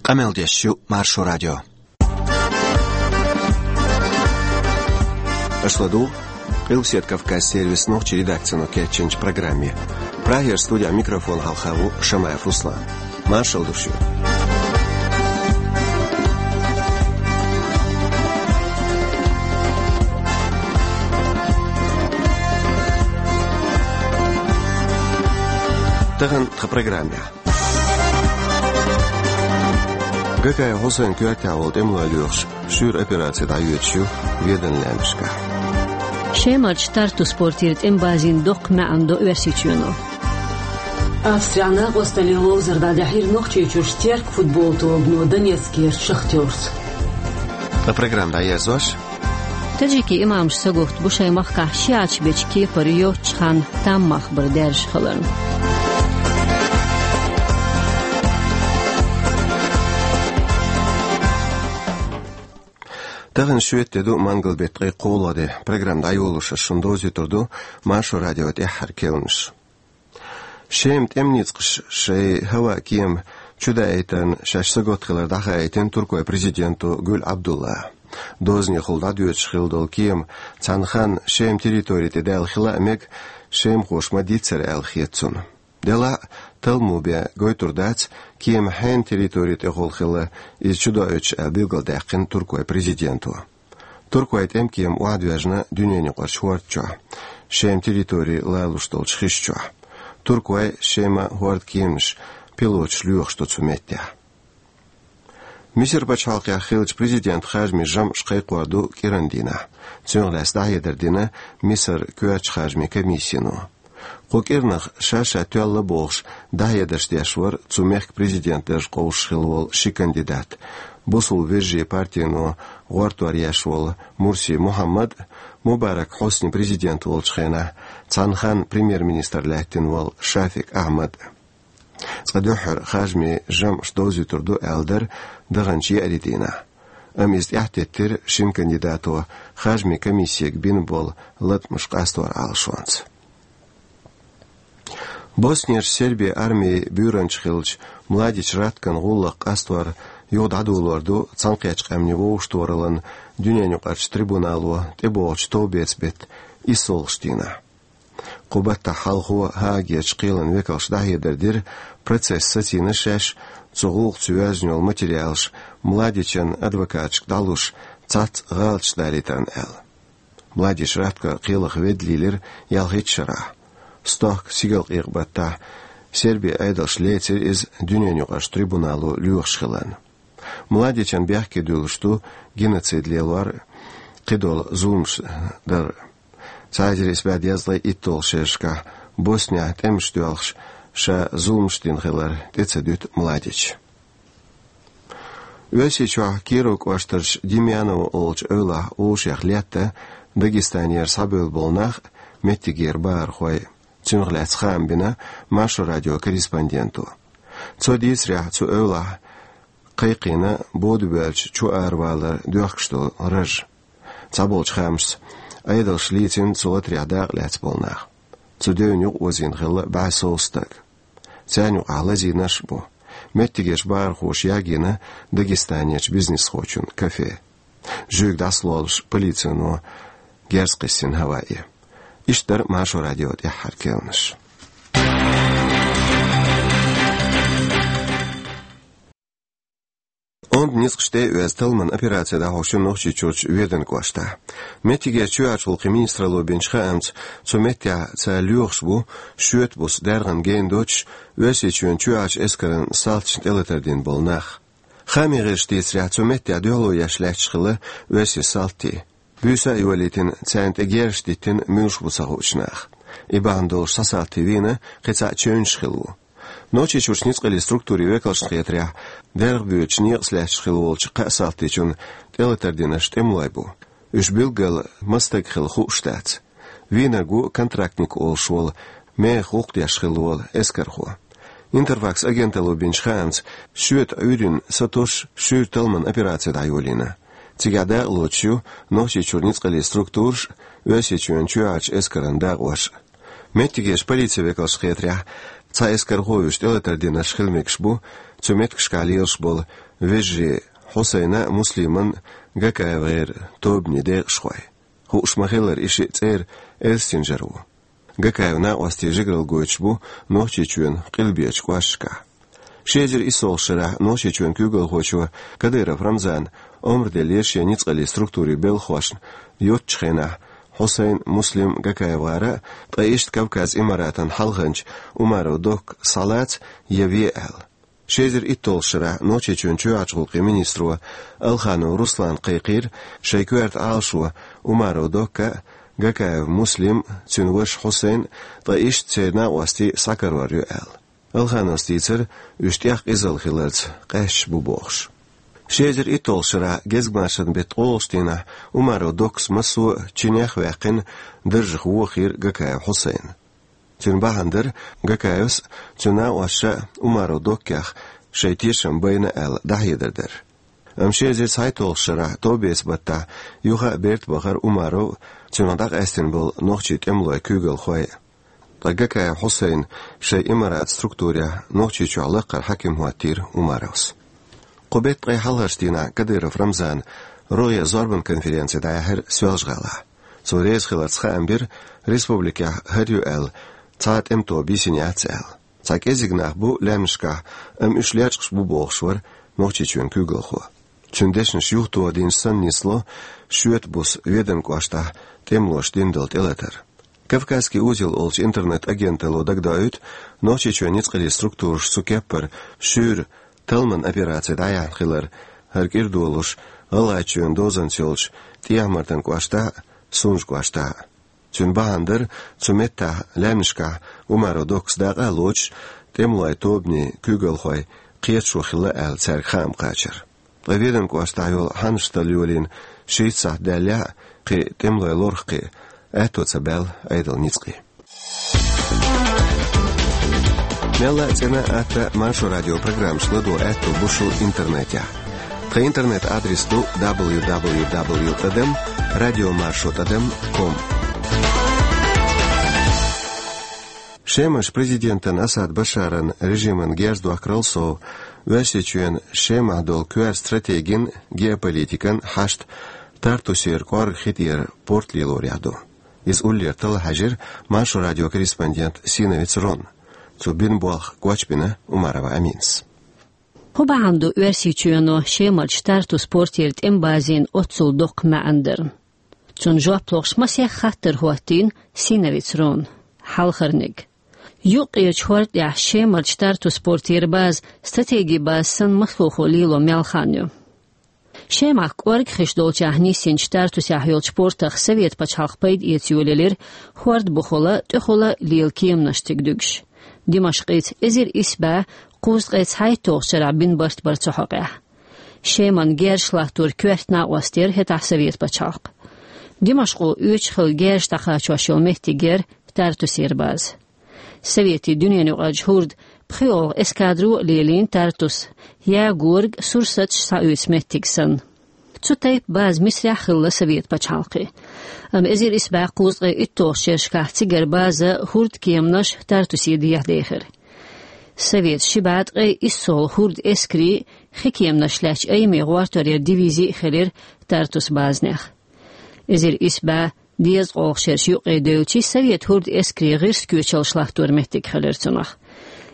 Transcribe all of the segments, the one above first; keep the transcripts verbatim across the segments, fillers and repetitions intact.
Къамел деш ю Маршо радио. Аша ладугӀу Къилбаседа Кавказан сервисан нохчийн редакцино кечйинчу программе. Прагера студехь микрофон хьалха ву Шамаев Руслан. Маршалла ду шуьга. Тахана тхан программехь. Гакаев Хьусайн коьртехь волу тӀемалой лоьхуш шуьйра операци дӀайоьдуш ю Веданан лаьмнашкахь. Шемарчу Тартус портера тӀеман базина доккха маьӀна до Оьрсийчоьно. Австрехь накъосталлин ловзар дӀадаьхьира Нохчийчуьрчу Терк футбол тобано Донецкерчу Шахтёрца. Ткъа программа дӀаерзош. Таджикийн имамаш сагатта бу шайн махкахь шиӀаташ бечу кепара йоцучу ханна там мах бар даьржа хиларна. Тахана шоьтан де ду, мангал беттан ткъе кхоалгӀа де. Программа дӀайолош ас шуна довзуьйтур ду Маршо радион тӀаьххьара керланаш. Шеман тӀеман ницкъаша шайн хӀаваан кема чудаийтарна шаьш сагатта хилар дӀахаийтина туркойн президенто Гюль Абдуллас. Дозанехула дӀадоьдуш хилла долу кема цхьана ханна Шеман территори тӀе даьлла хила а мега, шемахоша ма-дийццара аьлла хета цунна. Делахь а, талламо бен гойтур дац, кема хьенан территори тӀехула хилла иза чудоуьйтуш аьлла билгалдаьккхина туркойн президенто. Туркойн тӀеман кема охьадоьжна дуьненаюкъарчу хӀорда чохь, Шеман территори лоруш долчу хиш чохь. Туркойн, Шеман хӀордан кеманаш пилоташ лоьхуш ду цу меттехь. Мисар пачхьалкхехь хиллачу президентан харжамийн жамӀаш кхайкхор ду кӀиран дийнахь. Цунах лаьцна дӀахьедар дина Мисаран коьртачу харжамийн комиссино. Кху кӀиранах ша-ша тоьлла бохуш дӀахьедарш деш вара цу мехкан президентан дарж къовсуш хилла волу ши кандидат: Бусалба вежарийн партино гӀортор еш волу Мурси Мухьаммад а, Мубарак Хьусни президент волчу хенахь цхьана ханна премьер-министр лаьттина волу Шафик Ахьмад а. Цкъа дуьххьара харжамийн жамӀаш довзуьйтур ду аьлла дара даханчу еарин дийнахь. Амма иза тӀаьхьатеттира шина кандидато харжамийн комиссига бина болу латкъамаш къастор Ӏалашонца. Боснерчу Сербин армин буьйранча хиллачу Младич Раткан гӀуллакх къастор юха дӀадолор ду Цхьаьнакхеттачу Къаьмнийн вовшахтохараллин дуьненаюкъарчу трибунало тӀебогӀучу товбеца беттан иссалгӀачу дийнахь. Кху баттахь хьалхо ХӀаагерчу кхелан векалша дӀахьедар дира, процесс сацийна шаьш, цу гӀуллакхца йоьзна йолу материалаш Младичан адвокаташка дӀалуш, цхьацца гӀалаташ далийтарна аьлла. Младич Ратко кхелах ведда лийлира ялхитта шарахь. Стохка сигалкъекъа баттахь Сербин Ӏедалша лецира иза дуьненаюкъарчу трибунало лоьхуш хиларна. Младичан бехке дуьллуш ду геноцид лелор а, кхидолу зуламаш дар а. Цхьа эзар исс бӀе дезткъе итталгӀачу шерашкахь Боснехь тӀемаш доьлхуш, ша зуламаш дина хилар тӀе ца дуьту Младича. Оьрсийчохь Киров кӀоштарчу Демьяново олучу эвлахь вовшех летта Дагестанера схьабевлла болу нах а, меттигера бахархой а. Цунах лаьцна хаам бина Маршо радион корреспонденто. Цо дийцарехь, цу эвлахь кхайкхийна бода боьллачу чу аравалар доьхкуш долу раж. Цхьаболчу хаамашца, Ӏедалша лийцина цу латарехь дакъа лаьцна болу нах. Цу девнна юкъаозийна хилла бӀе сов стаг. Царна юкъахь лазийнарш а бу. Меттигерчу бахархоша ягийна Дагестанерчу бизнесхочун кафе. Жуьйга дӀасалолуш полицино герз кхиссина хӀаваъе. Иштта дара Маршо радион тӀаьххьара керланаш. Онда ницкъаш тӀе а оьзна, талламан операци дӀахьош ю Нохчийчуьрчу Веданан кӀоштахь. Меттигерчу чоьхьарчу гӀуллакхийн министралло бинчу хаамца, цу меттехь цара лоьхуш бу шоьтан буса даьргӀана гена доцуш, Оьрсийчоьнан чоьхьарчу эскаран салташна тӀелатар дина болу нах. Хаамийн гӀирсаша дийцарехь, цу меттехь дуьхьало еш лаьтташ хилла оьрсийн салтий. Буьйса а йолийтина, царна тӀе герзаш диттина муьлш бу ца хуучу наха. И бахьана долуш цхьа салти вийна, кхин цхьаъ чевнаш хилла ву. Нохчийчуьрчу ницкъаллин структурийн векалшна хетарехь, дерхбоьдучу некъаца лаьтташ хилла волчу кхаа салтичунна тӀелатар динарш тӀемалой бу. Уьш билггал маса стаг хилла хууш дац. Вийнарг ву контрактник олуш волу, мехах гӀуллакх деш хилла волу эскархо. Интерфакс агенталло бинчу хаамца, шоьтан Ӏуьйранна сатосуш шуьйра талламан операци дӀайолийна. Цигахь дакъа лоцуш ю Нохчийчуьра ницкъаллин структураш а, Оьрсийчоьнан чоьхьарчу эскаран дакъош а. Меттигерчу полицин векалшна хетарехь, Цхьа эскархо уьш тӀелатар динарш хила мегаш бу цу меттигашкахь лелаш болу вежарий Хьусайна, Муслиман, ГакаевгӀеран тобанийн декъашхой. Хууш ма-хиллара, и шиъ цӀера Элстин жара ву. Гакаевн накъостий жигаралла гойтуш бу Нохчийчоьнан къилбечу кӀошташкахь. Ши эзар иссолгӀачу шарахь Нохчийчоьнан куьйгалхочо Кадыров Рамзана омра деллера шен ницкъаллин структурийн белхахошна йоццачу хенахь Хьусайн, Муслим, ГакаевгӀара, ткъа иштта Кавказ Имаратан хьалханча Умаров Докка схьалаца я ве аьлла. Ши эзар иттолгӀачу шарахь Нохчийчоьнан чоьхьарчу гӀуллакхийн министро Алханов Руслана кхайкхийра шайн коьрта Ӏалашо Умаров Докка а, Гакаев Муслим а, цуьнан ваша Хьусайн а, ткъа иштта церан накъостий схьакарор ю аьлла. Алхановс дийцира, уьш тӀех къизалла хиларца къаьсташ бу бохуш. Ши эзар иттолгӀачу шарахь гезгмашин беттан ткъолгӀачу дийнахь Умаров Доккас массо а чинех а ваьккхина, даржах вохийра Гакаев Хьусайн. Цуьнан бахьана дара Гакаевс а, цуьнан накъосташа а Умаров Доккех шайн тешам байна аьлла дӀахьедар дар. Амма ши эзар цхьайттолгӀачу шарахь товбеца баттахь юха а берта бахара Умаров а, цунах дӀакъаьстина болу нохчийн тӀемалойн куьйгалхой а. Ткъа Гакаев Хьусайна шайн Имарат структурехь Нохчийчохь лаккхара хьаькам хӀоттийра Умаровс. Кху беттан ткъе хьалхарчу дийнахь Кадыров Рамзана рогӀера зорбан конференци дӀаяьхьира Соьлжа-ГӀалахь. Цо реза хиларца хаам бира, республикехь хӀара ю аьлла цхьа а тӀеман тоба йисина яц аьлла. Цхьа кӀеззиг нах бу лаьмнашкахь, амма уьш лечкъаш бу бохуш вара Нохчийчоьнан куьйгалхо. Цуьнан дешнаш юхатоха динчу санна нисло шоьтан буса Веданан кӀоштахь тӀемалоша дина долу тӀелатар. «Кавказский узел» олучу интернет-агенталло дагадоуьйту, Нохчийчоьнан ницкъаллин структураша цу кеппара шуьйра талламан операци дӀаяьхьна хилар, хӀара кӀира долуш ГӀалгӀайчоьнан дозанца йолчу ТӀехьа-Мартан кӀоштахь а, Сунжа кӀоштахь а. Цуьнан бахьана дара цу меттехь лаьмнашкахь Умаров Доккас дакъа а лоцуш, тӀемалойн тобанийн куьйгалхой кхеташо хилла аьлла цаьрга хаам кхачар. Ткъа Веданан кӀоштахь йолу хьаннаш талла йолийна шийтта сахьт даьллехь а, кхин тӀемалой лорах кхин аьтто ца баьлла Ӏедалан ницкъийн. Мелла а цӀена а, атта а Маршо радион программаш ладогӀа аьтто бу шун интернетехь. Тхан интернет-адрес ду дабл ю дабл ю дабл ю тӀадам радиомаршо тӀадам ком. Шеман президентан Асад Башаран режимана герз дохкарал сов, Оьрсийчоьнан Шемахь долу коьрта стратегин, геополитикан хьашт Тартусера кӀорга хи тӀера порт лелорехь ду. Иза уллера талла хьаьжира Маршо радион корреспондент Синовец Рон. Цо бина болх гочбина Умарова Аминас. Кху бахьана ду Оьрсийчоьно Шемарчу Тартус портера тӀеман базина оццул доккха маьӀна дар. Цунна жоп лохуш масех хаттар хӀоттийна Синовец Рона. Хьалхарниг. Юккъерчу хӀорда тӀехь Шемарчу Тартус портера база стратегин база санна массо а хӀума лело мел хан ю. Шемахь кӀорга хиш долчохь нисйинчу Тартусехь йолчу портах Совет пачхьалкх пайда эца йолаелира хӀорда бухула, тӀехула лела кеманаш цига дуьгуш. Димашкъица эзар исс бӀе кхузткъе цхьайттолгӀачу шарахь бина барт бара цу хьокъехь. Шеман герзаш латтор коьрта накъост яра хӀетахь Совет пачхьалкх. Димашкъо оьцуш хилла герзаш дӀакхачош йолу меттиг яра Тартусера база. Советийн дуьненаюкъарчу хӀордан пхоьалгӀа эскадро а лелийна Тартус, ягорг, сурсаташ схьаоьцу меттиг санна. Цу тайпа база Мисрехь хилла Совет пачхьалкхе. Амма эзар исс бӀе кхузткъе иттолгӀачу шерашкахь цигара база хӀордан кеманаш Тартусе дехьадехира. Советан ши бӀе ткъе иссолгӀа хӀордан эскарийн хи кеманаш лаьцначу айме гӀортарера дивизи а хилира Тартус базанех. Эзар исс бӀе дезткъолгӀа шераш юккъе девлчи, Совет хӀордан эскарийн гӀирс коьчаллаш латтор меттиг хилира цунах.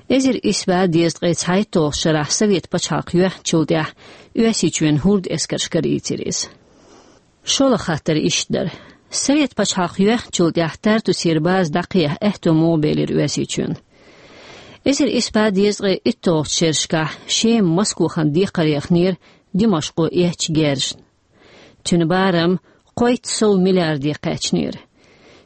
Эзар исс бӀе дезткъе цхьайттолгӀачу шарахь Совет пачхьалкх йоьхначул тӀаьхьа Оьрсийчоьнан хӀордан эскарш карийцира иза. ШолгӀа хаттар иштта дара. Совет пачхьалкх йоьхначул тӀаьхьа Тартусера база дӀакхехьа аьтто муха белира Оьрсийчоьнан? Эзар исс бӀе дезткъе иттолгӀачу шерашкахь Шема Москохана декхарехнера Димашкъо эцначу герзашна. Цуьнан барам кхойтта сов миллиарде кхаьчнера.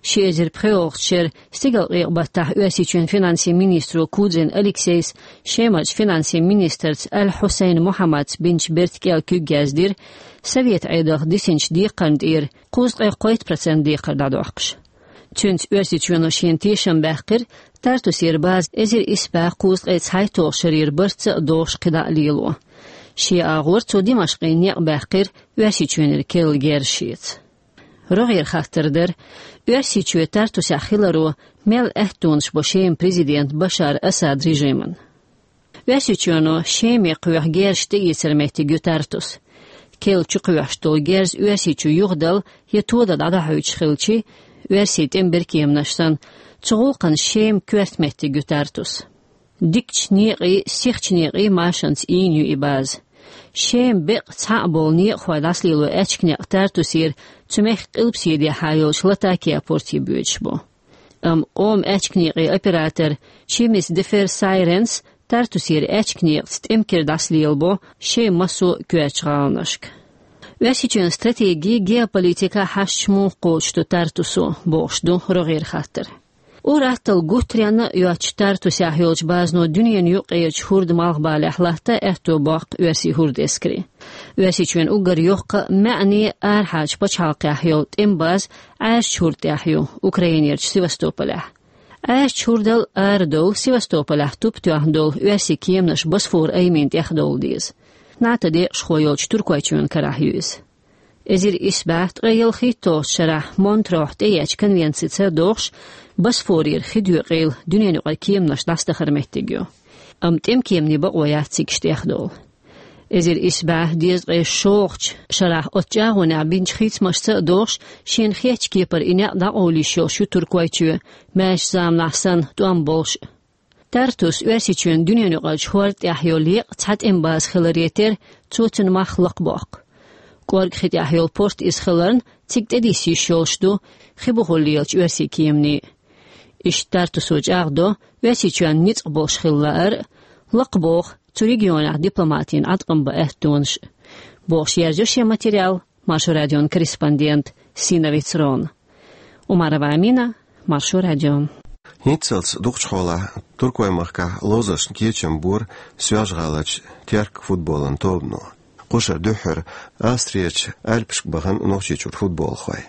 Ши эзар пхоьалгӀачу шеран стигалкъекъа баттахь Оьрсийчоьнан финансийн министро Кудрин Алексейс Шемарчу финансийн министрца Аль-Хьусайн Мухьаммадца бинчу бертан кӀел куьг яздира, Совет Ӏедалх дисинчу декхарна тӀера кхузткъе кхойтта процент декхар дӀадоккхуш. Цуьнца Оьрсийчоьно шена тешам баьккхира Тартусера база эзар исс бӀе кхузткъе цхьайттолгӀачу шарера барца а догӀуш кхидӀа а лело. Шен агӀор цо Димашкъе некъ баьккхира Оьрсийчоьнера керла герз шеца. РогӀера хаттар дара, Оьрсийчоь Тартусехь хиларо мел аьттонаш бо Шеман президент Башар Асад режиман. Оьрсийчоьно Шеме кхоьхьу герз тӀеэцара меттиг ю Тартус. Керла чу кхоьхьуш долу герз Оьрсийчу юхадала я тодала дӀадахьуьйтуш хилчи, оьрсийн тӀеман беркеманаш санна, цу гӀуллакхана Шема коьрта меттиг ю Тартус. Дикачу некъий, сихачу некъий машанца ийна ю и база. Шема беккъа цхьаъ болу некъахой дӀасалело аьчка некъ Тартусера цу мехкан къилбаседехьа йолчу Латакия порте боьдуш бу. Амма къоман аьчка некъийн оператор Чимис Дефер Сайренс Тартусера аьчка некъаца тӀеман кира дӀасалелабо Шеман массо а коьртачу гӀаланашка. Оьрсийчоьнан стратеги, геополитика хьашташ муха кхочуш ду Тартусо, бохуш ду рогӀера хаттар. Ур-атталла гуттаренна а йоцучу Тартусехь йолчу базано дуьненан юккъерчу хӀордан малхбалехь латта аьтто боккху оьрсийн хӀордан эскаре. Оьрсийчоьнан уггар йоккха а, маьӀне а арахьарчу пачхьалкхехь йолу тӀеман база Ӏаьржачу хӀорда тӀехь ю, Украинерчу Севастополехь. Ӏаьржачу хӀордал арадовла Севастополехь туп тоьхна долу оьрсийн кеманаш Босфор аймина тӀехдовла деза. НАТО декъашхо йолчу Туркойчоьнан карахь ю иза. Эзар исс бӀе ткъе ялхитталгӀачу шарахь Монтрохь тӀеэцначу конвенцица догӀуш, Босфорера хи доькъийла дуьненан юкъара кеманаш дӀасадахар меттиг ю. Амма тӀеман кеманийн бакъо яц цигахь тӀехдовла. Эзар исс бӀе дезткъе шолгӀачу шарахь оцу чӀагӀонехь бинчу хийцамашца а догӀуш, шена хетачу кепара и некъ дӀакъовла йиш йолуш ю Туркойчоь, маьрша заманахь санна тӀом болуш а. Тартус Оьрсийчоьнан дуьненан юккъерчу хӀорда тӀехь йолу еккъа цхьа тӀеман база хиларе терра, цо цуьнан мах лакхабоккху. КӀорггӀан хи тӀехь йолу порт иза хиларна, цига тӀедисса йиш йолуш ду хи бухула лелачу оьрсийн кеманийн. Иштта Тартусо чӀагӀдо Оьрсийчоьнна ницкъ болуш хила лаар а, лакхабоху цу регионехь дипломатийн Ӏаткъам бан аьттонаш а, бохуш, ерзайо шен материал Маршо радион корреспондент Синовец Рона. Умарова Амина, Маршо радио. ХӀинццалц дукхачу хьолахь Туркойн махкахь ловзаршна кечам бора Соьлжа-ГӀаларчу Терк футболан тобано. Кхушара дуьххьара Австрерчу Альпашка бахана Нохчийчуьра футболхой.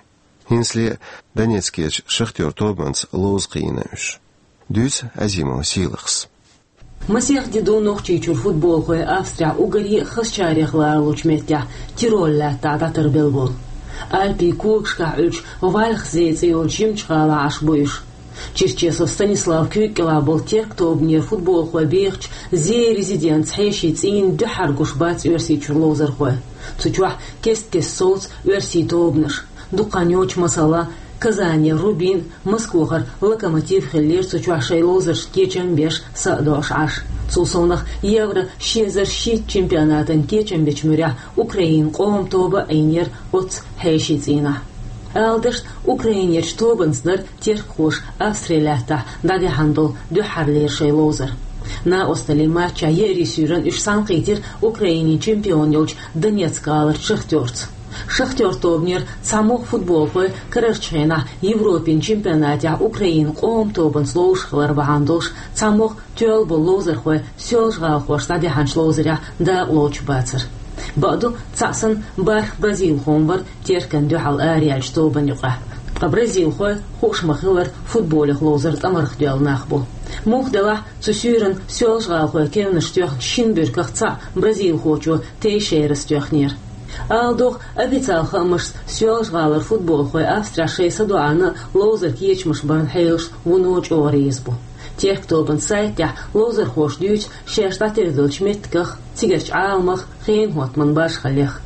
ХӀинцале Донецкерчу Шахтёр тобанца ловза кхиийна уьш. Дуьйцу Азимова Сийлахьас. Масех де ду Нохчийчуьра футболхой Австрехь уггаре а хазачарех ларалучу меттехь, Тирол лаьттахь дӀатарбелла болу. Альпийн когашкахь Ӏуьллучу Вальхсей цӀе йолчу жимачу гӀалахь Ӏаш бу уьш. Черчесов Станислав куьйга кӀелахь болу Терк тобанера футболхой бехачу Зея резиденца хьешийн цӀийнан дуьххьара гуш бац Оьрсийчуьра ловзархой. Цу чохь кест-кеста совцу оьрсийн тобанаш. Дукха хан йоццуш, масала, Казанера Рубин, Москвахара Локомотив хиллера цу чохь шайн ловзаршна кечам беш, са а доӀуш Ӏаш. Цул совнаха Евро ши эзар шийтта чемпионатан кечам бечу муьрехь Украинан къоман тоба а Ӏийнера оццу хьешийн цӀийнахь. Ала дашна, Украинерчу тобанца дара теркхоша Австрин лаьттахь дӀадаьхьна долу дуьххьарлера шайн ловзар. Накъосталлин матчехь еарин суьйранна уьш цхьаьнакхийтира Украинин чемпион йолчу Донецк-гӀаларчу Шахтёрца. Шахтёр тобанера цхьамогӀа футболхой карарчу хенахь Европин чемпионатехь Украинан къоман тобанца ловзуш хилар бахьана долуш, цхьамогӀа тоьлла болу ловзархой соьлжа-гӀалахошца дӀадаьхьначу ловзарехь дакъалоцуш бацара. Бакъду, цхьаъ санна бархӀ бразилхо вара Теркана дуьхьал араяьллачу тобанна юкъахь. Ткъа бразилхой, хууш ма-хиллара, футболех ловзар тӀамарх доьлла нах бу. Муха делахь, цу суьйранна соьлжа-гӀалахойн кевнаш тоьхначу шина буьрках цхьаъ бразилхочо Тейшейрас тоьхнера. Ала догӀу, официал хаамашца, соьлжа-гӀалара футболхой Австрехь шайн садоӀарна а ловзар кечамаш баран хьелаш вуно чӀогӀа реза бу. Терк тобанан сайтехь ловзархоша дуьйцу шаьш дӀатарделлачу меттигах, цигарчу Ӏаламах, хенан хӀоттаман башхаллех.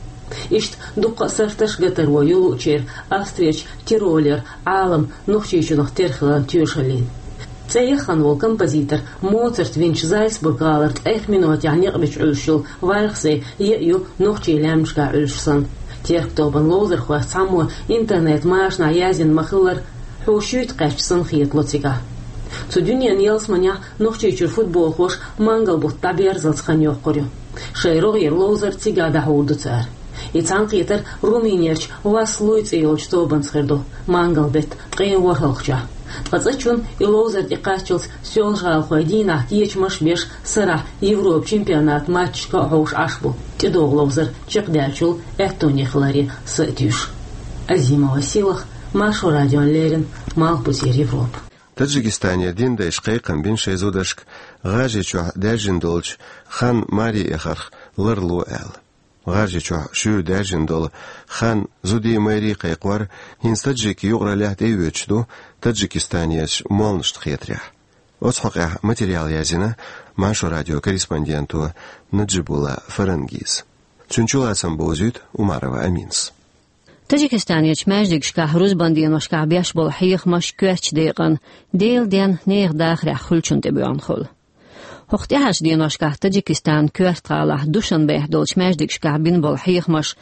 Иштта дуккха а сарташ а гатаро ю луучеран Австрерчу Тиролера Ӏалам Нохчийчунах тера хиларан тоьшаллин. ЦӀе яххана волу композитор Моцарт винчу Зальцбург-гӀалара ткъех минотехь некъ бича Ӏуьллуш йолу Вальхсей еа ю нохчийн лаьмнашкахь Ӏуьллуш санна. Терк тобанан ловзархойх цхьаммо интернет-машанахь яздина ма-хиллара, хьуо шуьйта кхаьчча санна хетало цигахь. Цу дуьненан ялсаманехь Нохчийчуьра футболхоша мангал бутт дӀаберзалц хан йоккхур ю. Шайн рогӀера ловзар цигахь дӀахьур ду цара. И цхьаьнакхетар Румынерчу Васлуй цӀе йолчу тобанца хир ду, мангал беттан ткъе ворхӀалгӀачохь. Ткъа цӀа чунна и ловзар тӀекхаччалц соьлжа-гӀалахой дийнахь кечамаш а беш, сарахь Европан чемпионатан матчашка а хьовш Ӏаш бу, тӀедогӀу ловзар чекхдаьллачул аьттоне хиларе са а туьйсуш. Азимова Сийлахь, Маршо радиона леррина, Малхбузера Европа. Таджикистанера динан дайша кхайкхам бина шайн зударшка ГӀажарийчохь даьржина долчу хан маре эхарх ларло аьлла. ГӀажарийчохь шуьйра даьржина долу хан зудий, майрий кхайкхор хӀинца таджикийн юкъараллехь тӀеоьцуш ду Таджикистанерчу молханашна хетарехь. Оцу хьокъехь материал язйина Маршо радион корреспонденто Наджибулла Фарангис. Цуьнан чулацам бовзуьйту Умарова Аминас. Таджикистанерчу маьждигашкахь рузбан деношкахь беш болу хьехамаш коьртачу декъана, Делан денна нехан дахарехь хуьлучунна тӀебоьгӀна хуьлу. ХӀокху тӀаьхьарчу деношкахь Таджикистанан коьрта гӀалахь Душанбехь долчу маьждигашкахь бина болу хьехамаш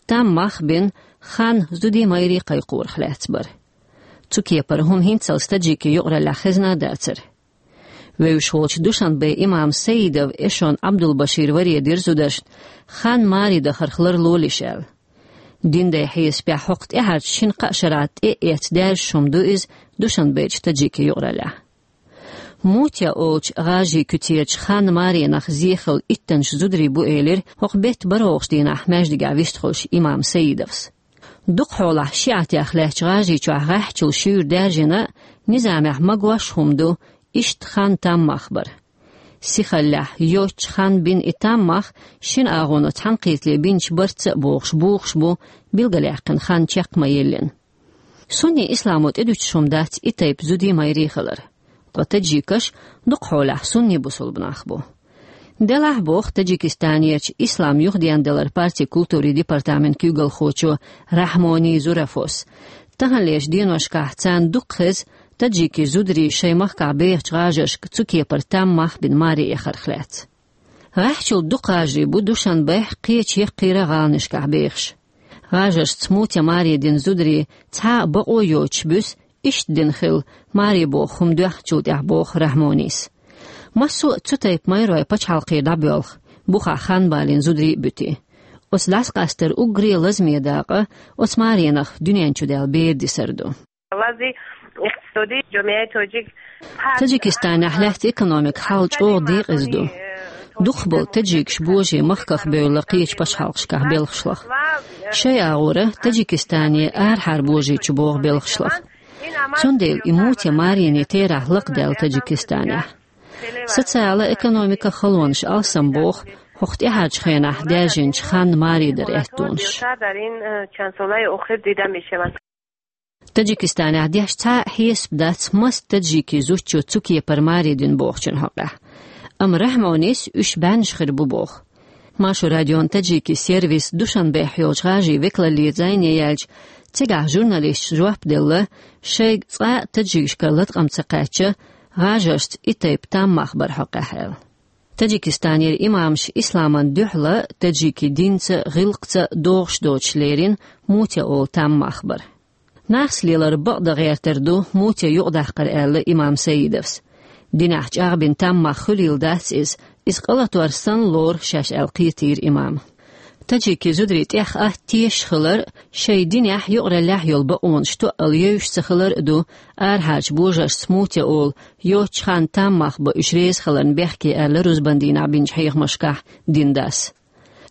там мах бина, хан зудий, майрий кхайкхорах лаьцна бара. Цу кепара хӀума хӀинццалц таджикийн юкъараллехь хезна а дацара. Вевзаш волчу Душанбен имам Саидов эшон Ӏабдулбашир варе дира зударшна, хан маре дахарх ларлолаш аьлла. Динан хьесапехь хӀокху тӀаьхьарчу шина-кхаа шарахь тӀе а эцна даьржаш хӀума ду иза Душанбечу таджикийн юкъараллехь. Мутя олучу гӀажарийн куьцерачу хан маренах зе хилла иттаннаш зударий бу элира хӀокху бетта бархӀалгӀачу дийнахь маьждигехь вистхуьлуш имам Саидовс. Дукха хьолахь шиӀатех лаьттачу ГӀажарийчохь гӀеххьачул шуьйра даьржина, низамехь магош хӀума ду, иштта хан там мах бар. Сихаллехь, йоцчу хан бина и там мах шина агӀоно цхьаьнакхетале бинчу барца а бохуш бухуш бу, билгалъяьккхина хан чекх ма-еллина. Сунний исламо тӀедуьтуш хӀума дац и тайпа зудий, майрий хилар. Ткъа таджикаш дукха хьолахь сунний бусулба нах бу. Делахь, боху Таджикистанерчу ислам юхадендаларан партин культурин департаментан куьйгалхочо Рахьмони Зурафос, таханлерчу деношкахь царна дукха хеза таджикийн зударий шайн махкахь бехачу гӀажаршка цу кепара там мах бина маре эхарх лаьцна. ГӀеххьачул дукха гӀажарий бу Душанбехь, кхечу яккхийра гӀаланашкахь бехаш. ГӀажаршца мутя маре дина зударий цхьа а бакъо йоцуш буьсу, иштта дина хилла маре боху хӀума доьхначул тӀаьхьа, боху Рахьмонис. Массо а цу тайпа майрой пачхьалкхера дӀабоьлху, бухахь хан балийна зударий а буьтий. Оцу дӀасакъастаран уггаре лазаме дакъа оцу маренах дуьнен чу даьлла бер дисар ду. Таджикистанехь лаьтта экономикан хьал чӀогӀа декъаза ду. Дукхахболу таджикаш божий махках бевлла кхечу пачхьалкхашкахь белхашлахь. Шайн агӀора Таджикистане арахьара божий чу богӀу белхашлахь. Цундела и мутя марене терахь лакхадаьлла Таджикистанехь. Социал-экономикан халонаш алсам боху хӀокху тӀаьхьарчу хенахь даьржинчу хан маре даран аьттонаш. Таджикистанехь деш цхьа а хьесап дац, маса таджикийн зудчо цу кепара маре дина бохучун хьокъехь. Амма Рахьмонис уьш бӀеннаш хир бу боху. Маршо радион таджикийн сервисан Душанбехь йолчу гӀажарийн векалаллера зӀене яьлча, цигахь журналисташа жоп делла, шайга цкъа а таджикашкара латкъам ца кхаьчча, гӀажаршца и тайпа там мах баран хьокъехь аьлла. Таджикистанера имамаш исламна дуьхьал, таджикийн динца а, гӀиллакхца а догӀуш доцуш лерина мутя олу там мах бар. Нахаца лелар бакъдан гӀертар ду мутя юкъадаккхар, аьлла имам Саидовс. Динехь чӀагӀбина там мах хуьлийла дац иза, иза къа латор санна лору шаьш аьлла кхетийра имама. Таджикийн зударий тӀех атта тешаш хилар а, шайн динехь, юкъараллехь йолу бакъонаш тоъал евзаш ца хилар а ду арахьарчу божаршца мутя олу, йоцчу ханна там мах бан уьш реза хиларна бехке аьлла рузбан дийнахь бинчу хьехамашкахь динан дас.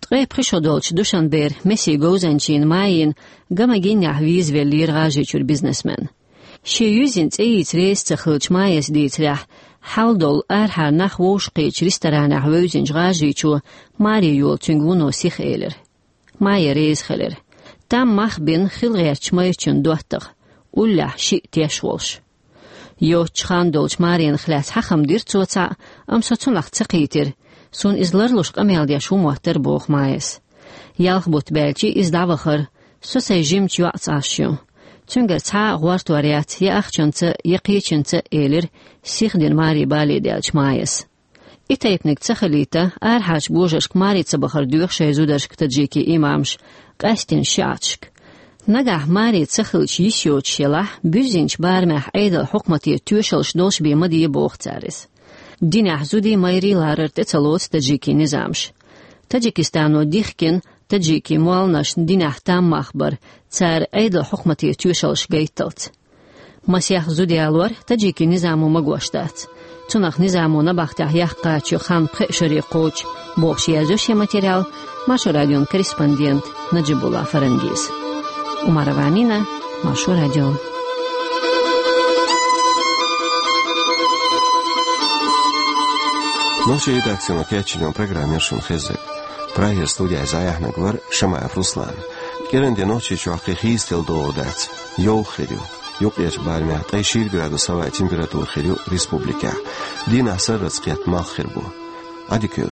Ткъе пхи шо долчу Душанбера Месин говзанчийн Майин ган-магийнехь визавеллера ГӀажарийчуьра бизнесмен. Шен юьззина цӀе йийца реза ца хиллачу Майас дийцарехь, хьал долу арахьара нах вовшахкхетачу ресторанехь вевзинчу ГӀажарийчо маре йолу цуьнга вуно сиха элира. Майя реза хилира. Там мах бина хила гӀертачу майрачун доттагӀа, уллехь шиъ теш волуш. Йоцчу ханна долчу маренах лаьцна хьахам дира цо цхьаъ, амма со цунах ца кхийтира. Суна иза ларлуш къамел деш ву моттара, боху Майас. Ялх бутт баьлча иза дӀавахара, со сайн жимачу йоӀца Ӏаш ю. Цуьнгара цхьа а гӀортор яц я ахчанца, я кхечуьнца, элира сихдина маре бале даьллачу Майас. И тайпаниг ца хилийта, арахьарчу божаршка маре ца бахар доьху шайн зударшка таджикийн имамаш, къаьсттина шиӀаташка. Нагахь маре ца хилча йиш йоцуш елахь, буьззинчу барамехь Ӏедалан хьукмате тоьшаллаш долуш бен ма де, боху цара иза. Динехь зудий, майрий ларар тӀе ца лоцу таджикийн низамаша. Таджикистано дихкина таджикийн молханашна динехь там мах бар, цара Ӏедалан хьукмате тоьшаллаш гайтталц. Масех зуда ялор таджикийн низамо магош дац. Цунах низамо набахтехь яккха кхача хан пхеа шаре кхочу, бохуш, язйо шен материал Маршо радион корреспондента Наджибулла Фарангис. Умарова Амина, Маршо радио. Нохчийн редакцино кечйинчу программера шуна хезира. Прагера студехь зӀаьхьнарг вара Шамаев Руслан. КӀиранде Нохчийчохь кхин хийцаделла догӀа дац, йовха хир ю. Юккъерчу барамехь ткъе шира градус хӀаваан температура хир ю республикехь. Дийнахь сарралц кхетта малх хир бу. Ӏадика